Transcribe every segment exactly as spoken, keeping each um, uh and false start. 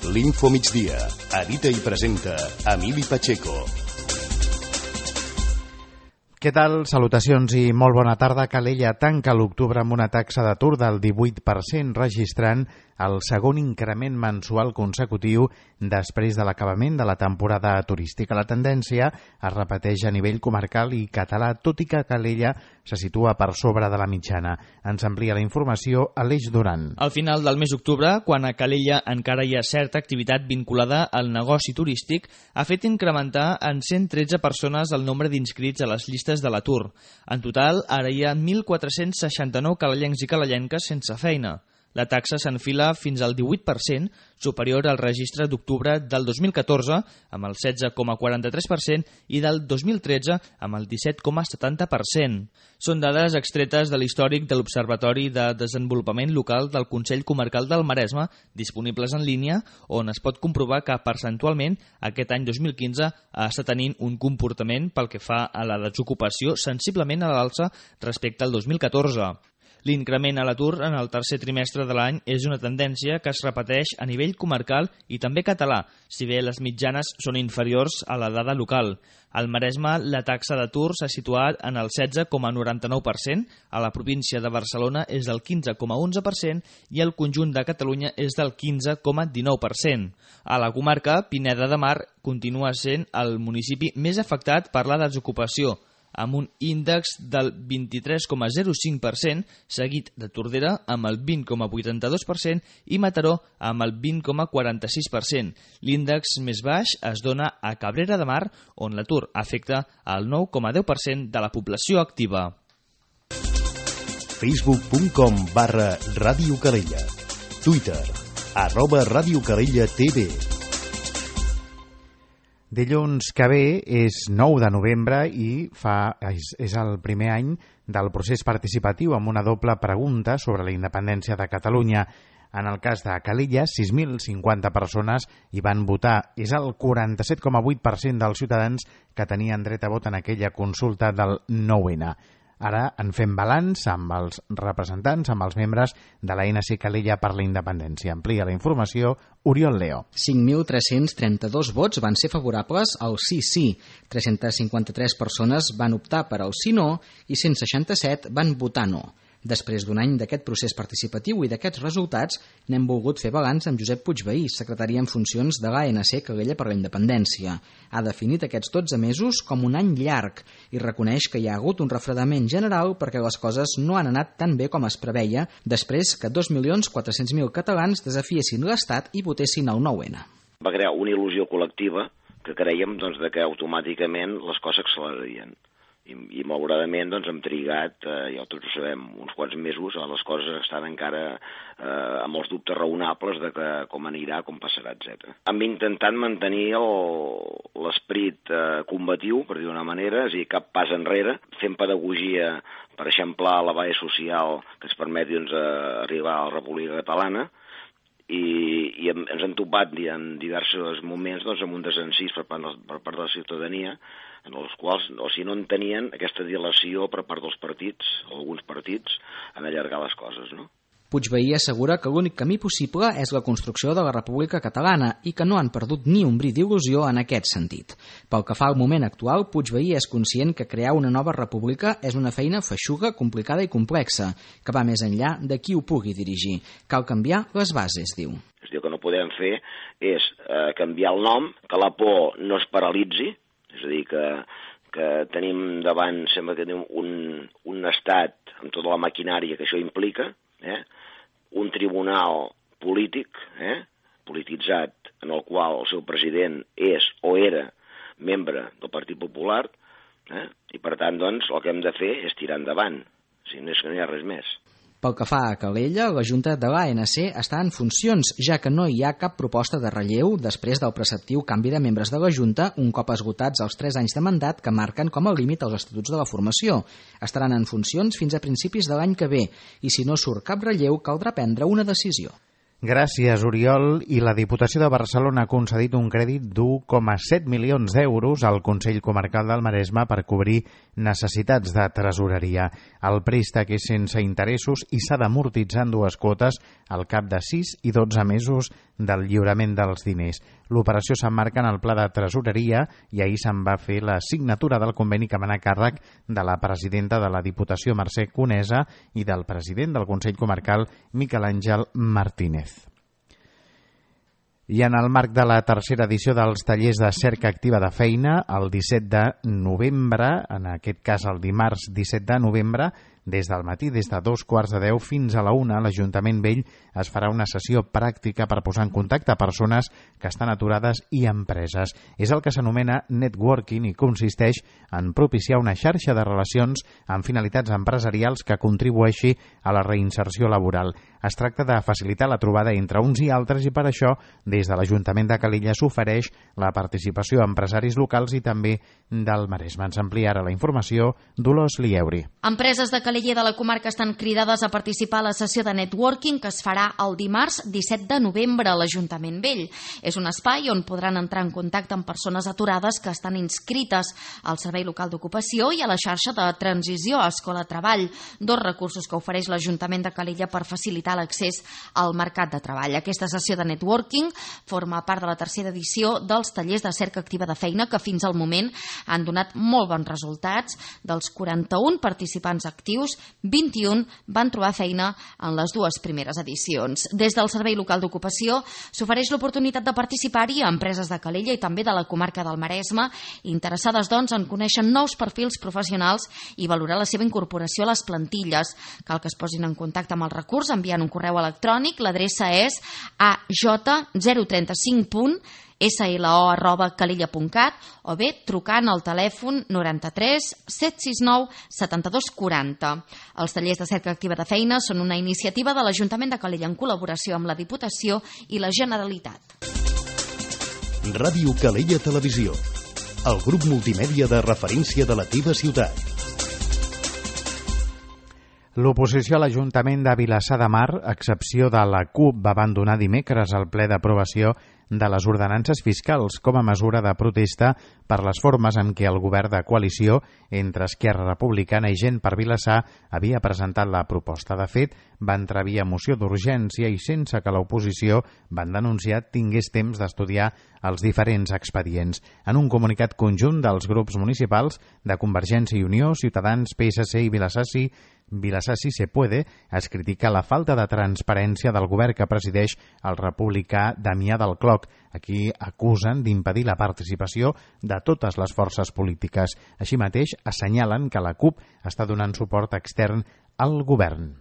L'Info Migdia. Edita i presenta Emili Pacheco. Què tal? Salutacions i molt bona tarda. Calella tanca l'octubre amb una taxa d'atur del divuit per cent, registrant el segon increment mensual consecutiu després de l'acabament de la temporada turística. La tendència es repeteix a nivell comarcal i català, tot i que Calella se situa per sobre de la mitjana. Ens amplia la informació Aleix Duran. Al final del mes d'octubre, quan a Calella encara hi ha certa activitat vinculada al negoci turístic, ha fet incrementar en cent tretze persones el nombre d'inscrits a les llistes de l'atur. En total, ara hi ha mil quatre-cents seixanta-nou calellencs i calellenques sense feina. La taxa s'enfila fins al divuit per cent, superior al registre d'octubre del dos mil catorze, amb el setze coma quaranta-tres per cent, i del dos mil tretze, amb el disset coma setanta per cent. Són dades extretes de l'històric de l'Observatori de Desenvolupament Local del Consell Comarcal del Maresme, disponibles en línia, on es pot comprovar que percentualment aquest any dos mil quinze està tenint un comportament pel que fa a la desocupació sensiblement a l'alça respecte al dos mil catorze. L'increment a l'atur en el tercer trimestre de l'any és una tendència que es repeteix a nivell comarcal i també català, si bé les mitjanes són inferiors a la dada local. Al Maresme, la taxa d'atur s'ha situat en el setze coma noranta-nou per cent, a la província de Barcelona és del quinze coma onze per cent i el conjunt de Catalunya és del quinze coma dinou per cent. A la comarca, Pineda de Mar continua sent el municipi més afectat per la desocupació, amb un índex del vint-i-tres coma zero cinc per cent, seguit de Tordera amb el vint coma vuitanta-dos per cent i Mataró amb el vint coma quaranta-sis per cent. L'índex més baix es dona a Cabrera de Mar, on l'atur afecta el nou coma deu per cent de la població activa. Facebook punt com barra Ràdio Calella. Twitter, arroba Ràdio Calella T V. Dilluns que ve és nou de novembre i fa, és, és el primer any del procés participatiu amb una doble pregunta sobre la independència de Catalunya. En el cas de Calella, sis mil cinquanta persones hi van votar. És el quaranta-set coma vuit per cent dels ciutadans que tenien dret a vot en aquella consulta del nou ene. Ara en fem balanç amb els representants, amb els membres de l'A N C Calella per la Independència. Amplia la informació Oriol Leo. cinc mil tres-cents trenta-dos vots van ser favorables al sí-sí, tres-centes cinquanta-tres persones van optar per al sí-no i cent seixanta-set van votar no. Després d'un any d'aquest procés participatiu i d'aquests resultats, n'hem volgut fer balanç amb Josep Puigvehí, secretari en funcions de l'A N C Calella per la Independència. Ha definit aquests dotze mesos com un any llarg i reconeix que hi ha hagut un refredament general perquè les coses no han anat tan bé com es preveia després que dos milions quatre-cents mil catalans desafiessin l'Estat i votessin el nou ene. Va crear una il·lusió col·lectiva que creiem doncs, que automàticament les coses accelerarien. I, i malauradament doncs, hem trigat, eh, ja tots ho sabem, uns quants mesos, les coses estan encara eh, amb els dubtes raonables de que, com anirà, com passarà, etcètera. Hem intentat mantenir l'esperit eh, combatiu, per dir d'una manera, és a dir, cap pas enrere, fent pedagogia per eixamplar la base social que ens permeti doncs, arribar a la República Catalana, i, i ens hem topat en diversos moments doncs, amb un desencís per part, per part de la ciutadania, en els quals, o si no en tenien aquesta dilació per part dels partits, alguns partits, en allargar les coses, no? Puigvehí assegura que l'únic camí possible és la construcció de la República Catalana i que no han perdut ni un bri d'il·lusió en aquest sentit. Pel que fa al moment actual, Puigvehí és conscient que crear una nova república és una feina feixuga, complicada i complexa, que va més enllà de qui ho pugui dirigir. Cal canviar les bases, diu. És a dir, el que no podem fer és eh, canviar el nom, que la por no es paralitzi, és a dir, que, que tenim davant, sembla que tenim un, un estat amb tota la maquinària que això implica, eh? Un tribunal polític, eh? polititzat, en el qual el seu president és o era membre del Partit Popular, eh? i per tant, doncs, el que hem de fer és tirar endavant, si no és que no hi ha res més. Pel que fa a Calella, la Junta de l'A N C està en funcions, ja que no hi ha cap proposta de relleu després del preceptiu canvi de membres de la Junta un cop esgotats els tres anys de mandat que marquen com a límit els estatuts de la formació. Estaran en funcions fins a principis de l'any que ve i si no surt cap relleu caldrà prendre una decisió. Gràcies, Oriol. I la Diputació de Barcelona ha concedit un crèdit d'u coma set milions d'euros al Consell Comarcal del Maresme per cobrir necessitats de tresoreria. El préstec és sense interessos i s'ha d'amortitzar en dues quotes al cap de sis i dotze mesos del lliurament dels diners. L'operació s'emmarca en el pla de tresoreria i ahir se'n va fer la signatura del conveni que va anar a càrrec de la presidenta de la Diputació, Mercè Conesa, i del president del Consell Comarcal, Miquel Àngel Martínez. I en el marc de la tercera edició dels tallers de cerca activa de feina, el disset de novembre, en aquest cas el dimarts disset de novembre, des del matí, des de dos quarts de deu fins a la una, l'Ajuntament Vell es farà una sessió pràctica per posar en contacte persones que estan aturades i empreses. És el que s'anomena networking i consisteix en propiciar una xarxa de relacions amb finalitats empresarials que contribueixi a la reinserció laboral. Es tracta de facilitar la trobada entre uns i altres i per això, des de l'Ajuntament de Calella s'ofereix la participació a empresaris locals i també del Maresme. Ens amplia ara la informació Dolors Lieuri. Empreses de Calella de la comarca estan cridades a participar a la sessió de networking que es farà el dimarts disset de novembre a l'Ajuntament Vell. És un espai on podran entrar en contacte amb persones aturades que estan inscrites al Servei Local d'Ocupació i a la xarxa de transició a Escola Treball, dos recursos que ofereix l'Ajuntament de Calella per facilitar l'accés al mercat de treball. Aquesta sessió de networking forma part de la tercera edició dels tallers de cerca activa de feina que fins al moment han donat molt bons resultats. Dels quaranta-un participants actius, vint-i-un van trobar feina en les dues primeres edicions. Des del Servei Local d'Ocupació s'ofereix l'oportunitat de participar-hi a empreses de Calella i també de la comarca del Maresme, interessades doncs en conèixer nous perfils professionals i valorar la seva incorporació a les plantilles. Cal que es posin en contacte amb el recurs enviant un correu electrònic. L'adreça és a j zero trenta cinc punt slo arroba calella punt cat o bé trucant al telèfon noranta-tres set sis nou setanta-dos quaranta. Els tallers de cerca activa de feina són una iniciativa de l'Ajuntament de Calella en col·laboració amb la Diputació i la Generalitat. Ràdio Calella Televisió, el grup multimèdia de referència de la teva ciutat. L'oposició a l'Ajuntament de Vilassar de Mar, a excepció de la CUP, va abandonar dimecres el ple d'aprovació de les ordenances fiscals com a mesura de protesta per les formes en què el govern de coalició entre Esquerra Republicana i Gent per Vilassar havia presentat la proposta. De fet, va entrar via moció d'urgència i sense que l'oposició, van denunciar, tingués temps d'estudiar els diferents expedients. En un comunicat conjunt dels grups municipals de Convergència i Unió, Ciutadans, P S C i Vilassar Sí, Vilassar Sí se puede, es critica la falta de transparència del govern que presideix el republicà Damià del Cloc. Aquí acusen d'impedir la participació de totes les forces polítiques. Així mateix, assenyalen que la CUP està donant suport extern al govern.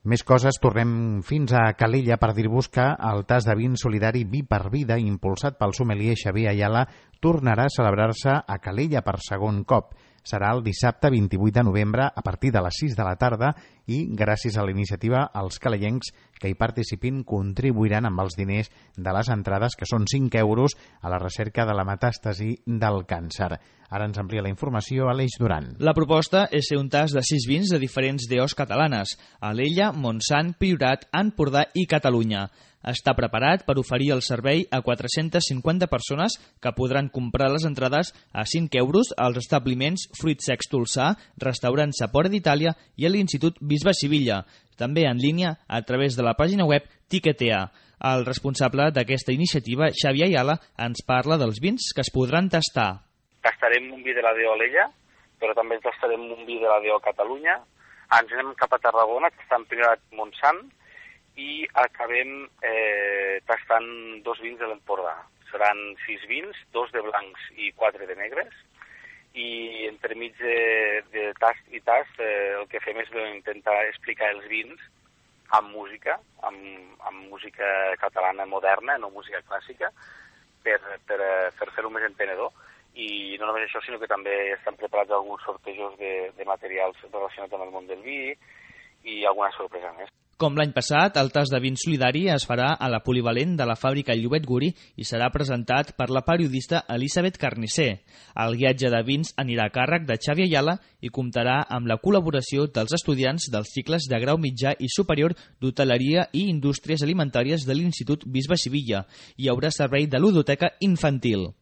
Més coses, tornem fins a Calella per dir-vos que el tas de vin solidari Vi per Vida, impulsat pel sommelier Xavier Ayala, tornarà a celebrar-se a Calella per segon cop. Serà el dissabte vint-i-vuit de novembre a partir de les sis de la tarda i, gràcies a la iniciativa, els calellencs que hi participin contribuiran amb els diners de les entrades, que són cinc euros, a la recerca de la metàstasi del càncer. Ara ens amplia la informació Aleix Duran. La proposta és ser un tas de sis vins de diferents D Os catalanes: Alella, Montsant, Priorat, Empordà i Catalunya. Està preparat per oferir el servei a quatre-centes cinquanta persones que podran comprar les entrades a cinc euros als establiments Fruits Secs Tolsà, Restaurant Sapore d'Itàlia i a l'Institut Bisbe Sivilla, també en línia a través de la pàgina web Tiquetea. El responsable d'aquesta iniciativa, Xavier Ayala, ens parla dels vins que es podran tastar. Tastarem un vi de la D O Alella, però també tastarem un vi de la D O Catalunya. Ens anem cap a Tarragona, que està en Priorat Montsant, i acabem eh, tastant dos vins de l'Empordà. Seran sis vins, dos de blancs i quatre de negres, i entremig de, de tast i tast eh, el que fem és intentar explicar els vins amb música, amb, amb música catalana moderna, no música clàssica, per, per, per fer-ho més entenedor. I no només això, sinó que també estan preparats alguns sortejos de, de materials relacionats amb el món del vi i alguna sorpresa més. Com l'any passat, el tas de vin solidari es farà a la polivalent de la fàbrica Llobet Guri i serà presentat per la periodista Elisabet Carnisser. El guiatge de vins anirà a càrrec de Xavier Ayala i comptarà amb la col·laboració dels estudiants dels cicles de grau mitjà i superior d'Hoteleria i Indústries Alimentàries de l'Institut Bisbe Sivilla. Hi haurà servei de ludoteca infantil.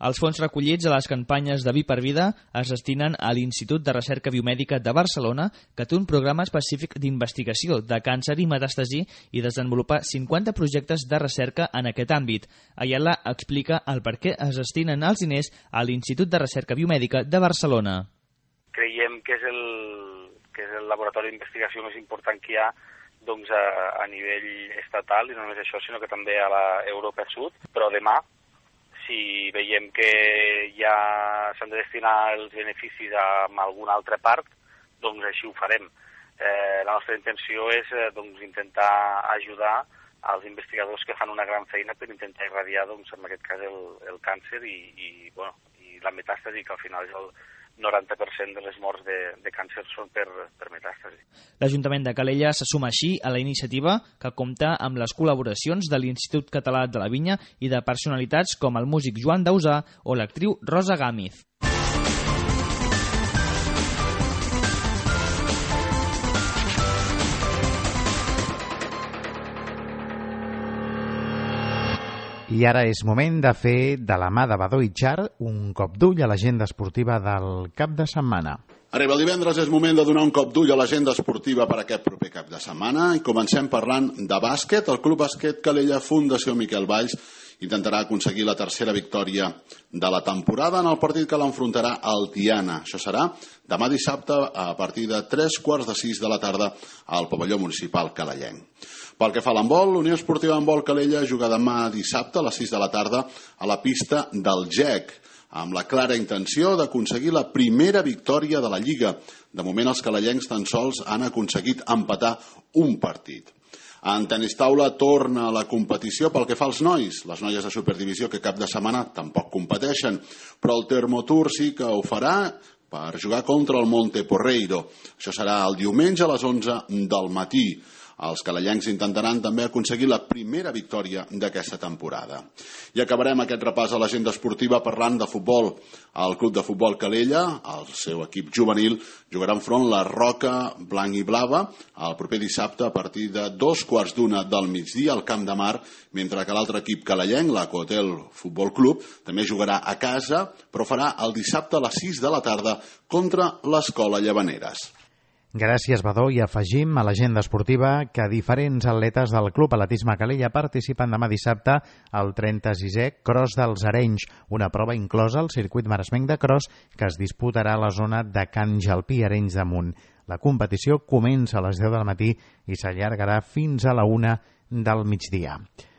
Els fons recollits a les campanyes de Vi per Vida es destinen a l'Institut de Recerca Biomèdica de Barcelona, que té un programa específic d'investigació de càncer i metàstasi i desenvolupa cinquanta projectes de recerca en aquest àmbit. Ayala explica el per què es destinen els diners a l'Institut de Recerca Biomèdica de Barcelona. Creiem que és el, que és el laboratori d'investigació més important que hi ha doncs, a, a nivell estatal, i no només això, sinó que també a l'Europa Sud, però demà, si veiem que ja s'han de destinar els beneficis a alguna altra part, doncs així ho farem. Eh, la nostra intenció és eh, doncs, intentar ajudar als investigadors que fan una gran feina per intentar irradiar, doncs, en aquest cas, el, el càncer i, i, bueno, i la metàstasi, que al final és el noranta per cent de les morts de, de càncer són per, per metàstasi. L'Ajuntament de Calella se suma així a la iniciativa, que compta amb les col·laboracions de l'Institut Català de la Vinya i de personalitats com el músic Joan Dausà o l'actriu Rosa Gámez. I ara és moment de fer de la mà de Badó i Char un cop d'ull a l'agenda esportiva del cap de setmana. Arriba el divendres, és moment de donar un cop d'ull a l'agenda esportiva per aquest proper cap de setmana i comencem parlant de bàsquet. El Club Bàsquet Calella Fundació Miquel Valls intentarà aconseguir la tercera victòria de la temporada en el partit que l'enfrontarà al Tiana. Això serà demà dissabte a partir de tres quarts de sis de la tarda al pavelló municipal calellenc. Pel que fa a l'handbol, l'Unió Esportiva Handbol Calella juga demà dissabte a les sis de la tarda a la pista del G E C, amb la clara intenció d'aconseguir la primera victòria de la Lliga. De moment, els calellencs tan sols han aconseguit empatar un partit. En tenis taula torna a la competició pel que fa als nois. Les noies de Superdivisió, que cap de setmana tampoc competeixen, però el Termotour sí que ho farà per jugar contra el Monte Porreiro. Això serà el diumenge a les onze del matí. Els calellencs intentaran també aconseguir la primera victòria d'aquesta temporada. I acabarem aquest repàs a l'agenda esportiva parlant de futbol. El Club de Futbol Calella, el seu equip juvenil, jugarà enfront la Roca Blanc i Blava el proper dissabte a partir de dos quarts d'una del migdia al Camp de Mar, mentre que l'altre equip calellenc, l'Acotel Futbol Club, també jugarà a casa, però farà el dissabte a les sis de la tarda contra l'Escola Llavaneres. Gràcies, Badó, i afegim a l'agenda esportiva que diferents atletes del Club Atletisme Calella participen demà dissabte al trenta-sisè Cross dels Arenys, una prova inclosa al circuit maresmenc de cross que es disputarà a la zona de Can Jalpí, Arenys de Munt. La competició comença a les deu del matí i s'allargarà fins a la una del migdia.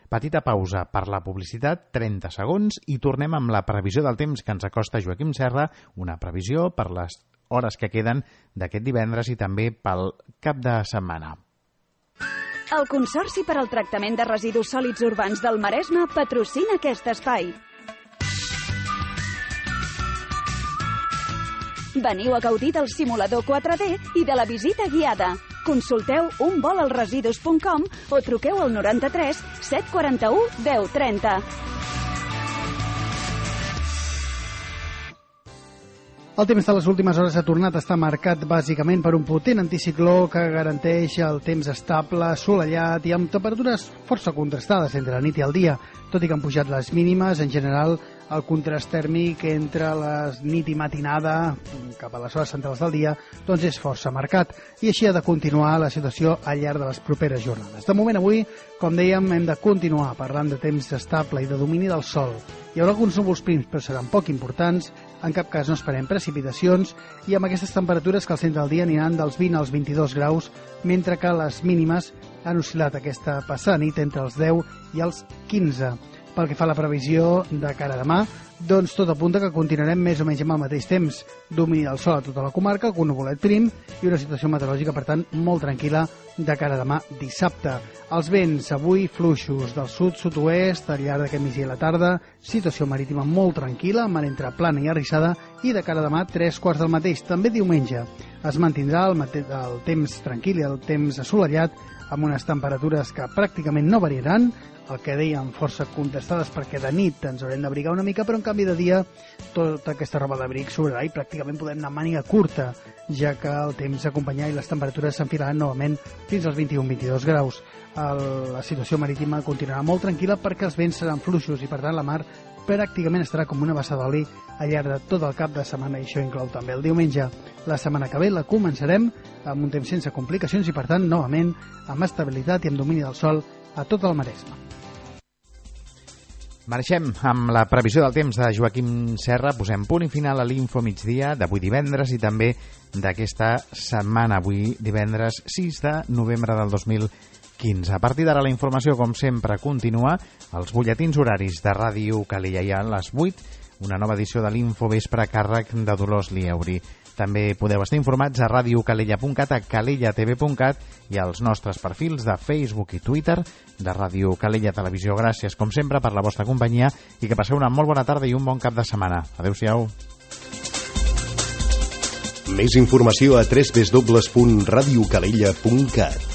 Petita pausa per la publicitat, trenta segons, i tornem amb la previsió del temps que ens acosta Joaquim Serra, una previsió per les hores que queden d'aquest divendres i també pel cap de setmana. El Consorci per al Tractament de Residus Sòlids Urbans del Maresme patrocina aquest espai. Veniu a gaudir del simulador quatre D i de la visita guiada. Consulteu un vol als residus punt com o truqueu al noranta-tres set quaranta-u deu trenta. El temps de les últimes hores ha tornat a estar marcat bàsicament per un potent anticicló que garanteix el temps estable, assolellat i amb temperatures força contrastades entre la nit i el dia. Tot i que han pujat les mínimes, en general el contrast tèrmic entre la nit i matinada cap a les hores centrals del dia doncs és força marcat, i així ha de continuar la situació al llarg de les properes jornades. De moment avui, com dèiem, hem de continuar parlant de temps estable i de domini del sol. Hi haurà alguns núvols prims, però seran poc importants, en cap cas no esperem precipitacions, i amb aquestes temperatures que al centre del dia aniran dels vint als vint-i-dos graus, mentre que les mínimes han oscil·lat aquesta passada nit entre els deu i els quinze. Pel que fa a la previsió de cara a demà, doncs tot apunta que continuarem més o menys amb el mateix temps. Domini del sol a tota la comarca, amb un nuvolet prim i una situació meteorològica, per tant, molt tranquil·la de cara a demà dissabte. Els vents avui fluixos del sud-sud-oest al llarg d'aquest migdia i la tarda, situació marítima molt tranquil·la, mar entre plana i arrissada, i de cara a demà tres quarts del mateix. També diumenge es mantindrà el, el temps tranquil i el temps assolellat, amb unes temperatures que pràcticament no variaran, el que dèiem força contestades perquè de nit ens haurem d'abrigar una mica, però en canvi de dia tota aquesta roba d'abric sobrarà i pràcticament podem anar màniga curta, ja que el temps acompanyar i les temperatures s'enfilaran novament fins als vint-i-un a vint-i-dos graus. El, la situació marítima continuarà molt tranquil·la perquè els vents seran fluixos i per tant la mar pràcticament estarà com una bassa d'oli al llarg de tot el cap de setmana, i això inclou també el diumenge. La setmana que ve la començarem amb un temps sense complicacions i, per tant, novament, amb estabilitat i amb domini del sol a tot el Maresme. Marxem amb la previsió del temps de Joaquim Serra. Posem punt i final a l'Info Migdia d'avui divendres i també d'aquesta setmana, avui divendres sis de novembre del dos mil quinze. A partir d'ara la informació, com sempre, continua als butlletins horaris de Ràdio Calella. I a les vuit, una nova edició de l'Info Vespre a càrrec de Dolors Lieuri. També podeu estar informats a radiocalella punt cat, a calellatv punt cat i als nostres perfils de Facebook i Twitter de Ràdio Calella Televisió. Gràcies, com sempre, per la vostra companyia i que passeu una molt bona tarda i un bon cap de setmana. Adéu-siau. Més informació a w w w punt radiocalella punt cat.